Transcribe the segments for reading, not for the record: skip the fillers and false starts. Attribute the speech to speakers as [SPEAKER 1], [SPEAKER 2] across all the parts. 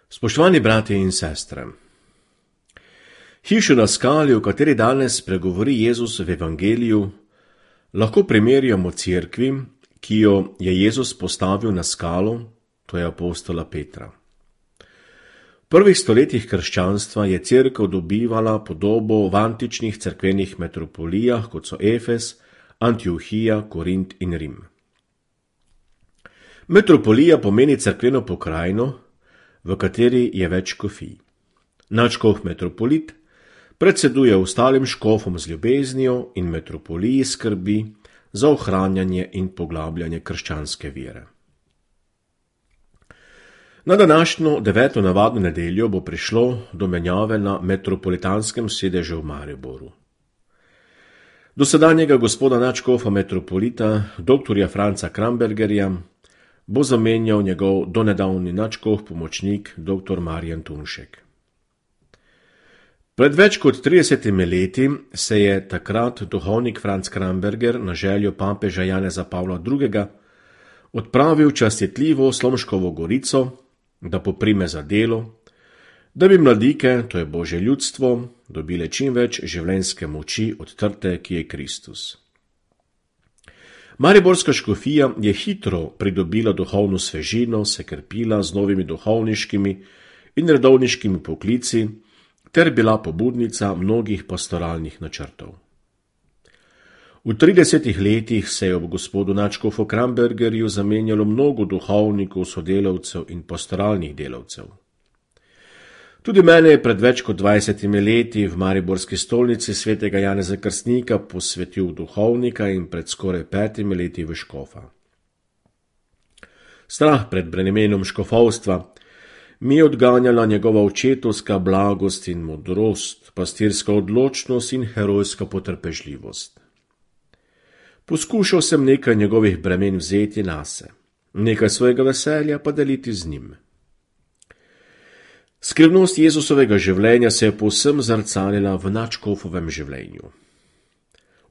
[SPEAKER 1] Spoštovani bratje in sestre, hišo na skali, o kateri danes pregovori Jezus v Evangeliju, lahko primerjamo cerkvi, ki jo je Jezus postavil na skalo, to je apostola Petra. V prvih stoletjih krščanstva je cerkev dobivala podobo v antičnih cerkvenih metropolijah, kot so Efes, Antiohija, Korint in Rim. Metropolija pomeni cerkveno pokrajino, v kateri je več škofij. Nadškof metropolit predseduje ostalim škofom z ljubeznijo in metropoliji skrbi za ohranjanje in poglabljanje krščanske vere. Na današnjo 9. navadno nedeljo bo prišlo do menjave na metropolitanskem sedežu v Mariboru. Dosedanjega gospoda nadškofa metropolita, dr. Franca Krambergerja, bo zamenjal njegov donedavni nadškof pomočnik dr. Marjan Tunšek. Pred več kot 30 leti se je takrat duhovnik Franc Kramberger na željo papeža Janeza Pavla II. Odpravil častitljivo Slomškovo gorico, da poprime za delo, da bi mladike, to je Božje ljudstvo, dobile čim več življenjske moči od trte, ki je Kristus. Mariborska škofija je hitro pridobila duhovno svežino, se krepila z novimi duhovniškimi in redovniškimi poklici ter bila pobudnica mnogih pastoralnih načrtov. V 30 letih se je ob gospodu nadškofu Krambergerju zamenjalo mnogo duhovnikov, sodelavcev in pastoralnih delavcev. Tudi mene je pred več kot 20 leti v mariborski stolnici svetega Janeza Krstnika posvetil duhovnika in pred skoraj 5 leti v škofa. Strah pred bremenom škofovstva mi je odganjala njegova očetovska blagost in modrost, pastirska odločnost in herojska potrpežljivost. Poskušal sem nekaj njegovih bremen vzeti nase, nekaj svojega veselja pa deliti z njim. Skrivnost Jezusovega življenja se je povsem zrcalila v nadškofovem življenju.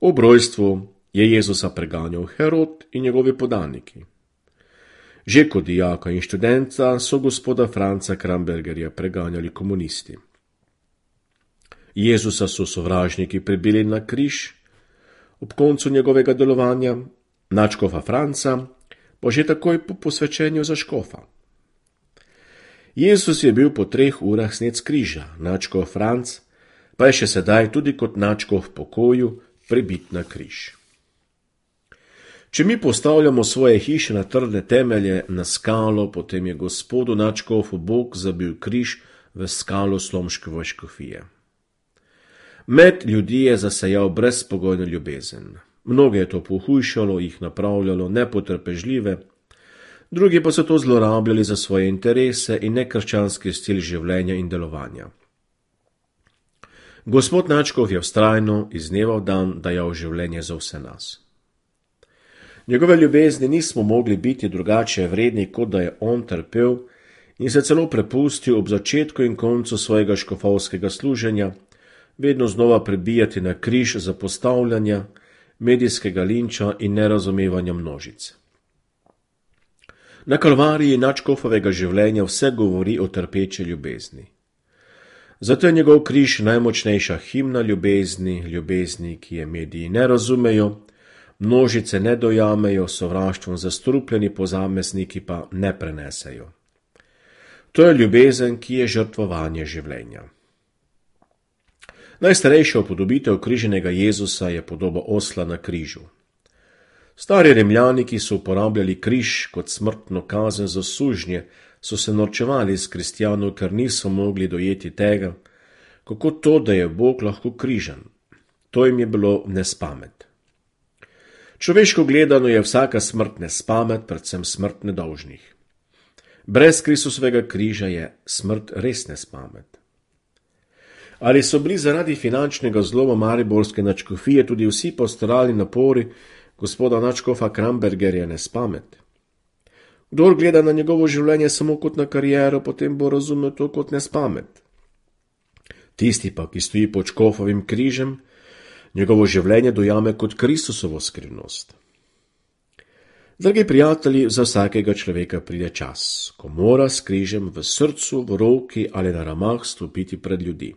[SPEAKER 1] Ob rojstvu je Jezusa preganjal Herod in njegovi podaniki. Že kot dijaka in študenta so gospoda Franca Krambergerja preganjali komunisti. Jezusa so sovražniki pribili na križ, ob koncu njegovega delovanja, nadškofa Franca pa že takoj po posvečenju za škofa. Jezus je bil po 3 urah snet s križa, nadškof Franc pa je še sedaj tudi kot nadškof v pokoju pribit na križ. Če mi postavljamo svoje hiše na trdne temelje, na skalo, potem je gospodu nadškofu Bog zabil križ v skalo Slomškove škofije. Med ljudi je zasejal brezpogojno ljubezen. Mnoge je to pohujšalo, jih napravljalo nepotrpežljive, drugi pa so to zlorabljali za svoje interese in nekrščanski stil življenja in delovanja. Gospod nadškof je vztrajno iz dneva v dan dajal življenje za vse nas. Njegove ljubezni nismo mogli biti drugače vredni, kot da je on trpel in se celo prepustil ob začetku in koncu svojega škofovskega služenja, vedno znova prebijati na križ zapostavljanja, medijskega linča in nerazumevanja množic. Na kalvariji nadškofovega življenja vse govori o trpeče ljubezni. Zato je njegov križ najmočnejša himna ljubezni, ljubezni, ki je mediji ne razumejo, množice ne dojamejo, sovraštvom zastrupljeni posamezniki pa ne prenesejo. To je ljubezen, ki je žrtvovanje življenja. Najstarejša upodobitev križenega Jezusa je podoba osla na križu. Stari Rimljani, ki so uporabljali križ kot smrtno kazen za sužnje, so se norčevali iz kristjanov, ker niso mogli dojeti tega, kako to, da je Bog lahko križan. To jim je bilo nespamet. Človeško gledano je vsaka smrt nespamet, predvsem smrt nedolžnih. Brez Kristusovega križa je smrt res nespamet. Ali so bili zaradi finančnega zloma mariborske nadškofije tudi vsi pastoralni napori gospoda nadškofa Krambergerja nespamet? Kdor gleda na njegovo življenje samo kot na kariero, potem bo razumel to kot nespamet. Tisti pa, ki stoji pod škofovim križem, njegovo življenje dojame kot Kristusovo skrivnost. Dragi prijatelji, za vsakega človeka pride čas, ko mora s križem v srcu, v roki ali na ramah stopiti pred ljudi.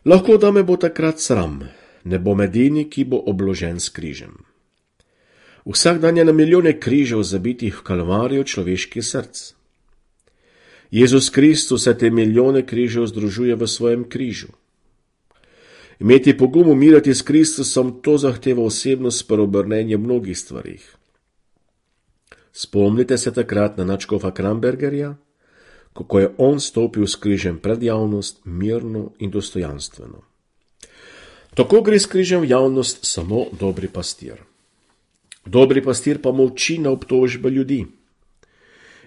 [SPEAKER 1] Lahko da me bo takrat sram, ne bom edini, ki bo obložen s križem. Vsak dan je na milijone križev zabitih v kalvarijo človeških src. Jezus Kristus se te milijone križev združuje v svojem križu. Imeti pogum umirati s Kristusom, to zahteva osebno spreobrnenje mnogih stvarih. Spomnite se takrat na nadškofa Krambergerja, kako je on stopil s križem pred javnost mirno in dostojanstveno. Tako gre s križem v javnost samo dobri pastir. Dobri pastir pa molči na obtožbe ljudi.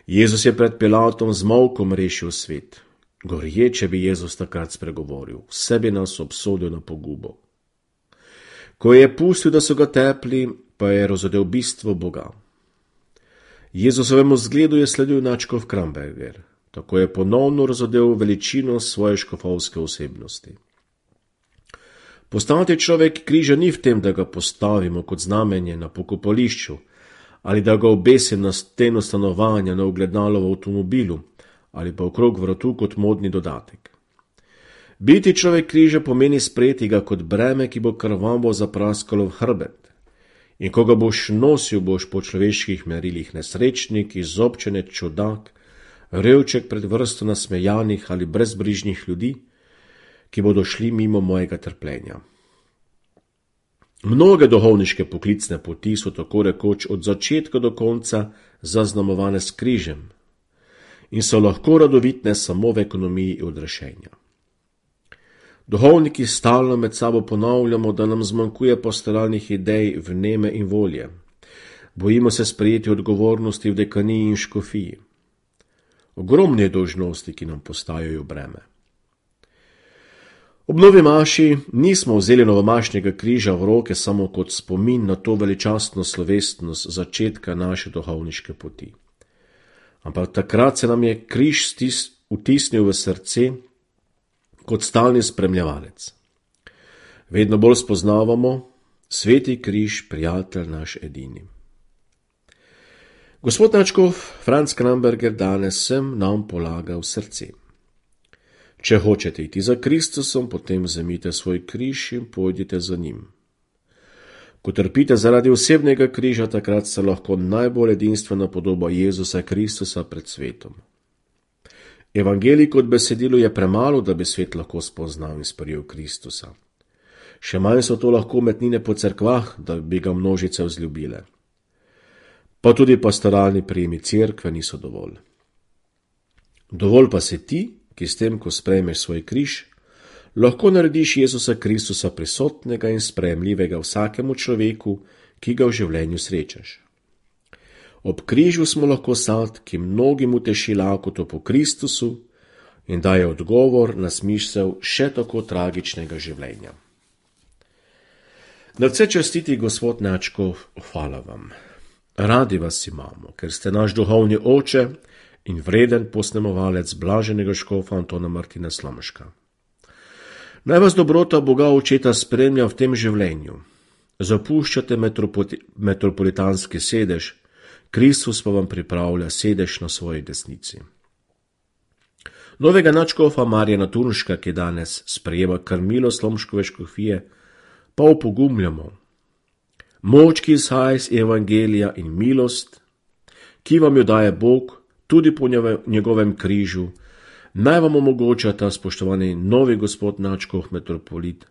[SPEAKER 1] Jezus je pred Pilatom z molkom rešil svet. Gorje, če bi Jezus takrat spregovoril, vse bi nas obsodil na pogubo. Ko je pustil, da so ga tepli, pa je razodel bistvo Boga. Jezusovemu zgledu je sledil nadškof Kramberger, tako je ponovno razodel veličino svoje škofovske osebnosti. Postati človek križa ni v tem, da ga postavimo kot znamenje na pokopališču, ali da ga obesim na steno stanovanja, na ogledalo v avtomobilu, ali pa okrog vratu kot modni dodatek. Biti človek križa pomeni sprejeti ga kot breme, ki bo krvavo zapraskalo v hrbet. In ko ga boš nosil, boš po človeških merilih nesrečnik, izobčenec, čudak, revček pred vrsto nasmejanih ali brezbrižnih ljudi, ki bodo šli mimo mojega trpljenja. Mnoge duhovniške poklicne poti so tako rekoč od začetka do konca zaznamovane s križem in so lahko radovitne samo v ekonomiji odrešenja. Duhovniki stalno med sabo ponavljamo, da nam zmanjkuje pastoralnih idej, vneme in volje. Bojimo se sprejeti odgovornosti v dekaniji in škofiji. Ogromne dolžnosti, ki nam postajajo breme. Ob novi maši nismo vzeli novomašnjega križa v roke samo kot spomin na to veličastno slovesnost začetka naše duhovniške poti. Ampak takrat se nam je križ vtisnil v srce kot stalni spremljevalec. Vedno bolj spoznavamo, sveti križ, prijatelj naš edini. Gospod nadškof Franc Kramberger danes sem nam polaga v srce. Če hočete iti za Kristusom, potem vzemite svoj križ in pojdite za njim. Ko trpite zaradi osebnega križa, takrat se lahko najbolj edinstvena podoba Jezusa Kristusa pred svetom. Evangelij kot besedilo je premalo, da bi svet lahko spoznal in sprejel Kristusa. Še manj so to lahko umetnine po cerkvah, da bi ga množice vzljubile. Pa tudi pastoralni prijemi cerkve niso dovolj. Dovolj pa se ti, ki s tem, ko sprejmeš svoj križ, lahko narediš Jezusa Kristusa prisotnega in sprejemljivega vsakemu človeku, ki ga v življenju srečaš. Ob križu smo lahko sad, ki mnogim uteši lakoto po Kristusu in daje odgovor na smisel še tako tragičnega življenja. Nadvse častiti gospod nadškof, hvala vam. Radi vas imamo, ker ste naš duhovni oče in vreden posnemovalec blaženega škofa Antona Martina Slomška. Naj vas dobrota Boga očeta spremlja v tem življenju. Zapuščate metropolitanski sedež, Kristus pa vam pripravlja sedež na svoji desnici. Novega nadškofa Marjana Turnška, ki danes sprejema krmilo Slomškove škofije, pa opogumljamo. Moč, ki izhaja iz evangelija in milost, ki vam jo daje Bog, tudi po njegovem križu, naj vam omogoča ta spoštovani novi gospod nadškof metropolit,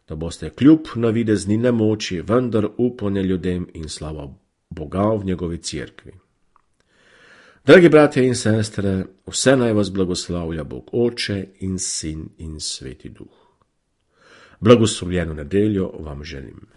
[SPEAKER 1] da boste kljub navidezni nemoči vendar upanje ljudem in slava Boga v njegovi cerkvi. Dragi bratje in sestre, vse naj vas blagoslavlja Bog Oče in Sin in Sveti Duh. Blagoslovljeno nedeljo vam želim.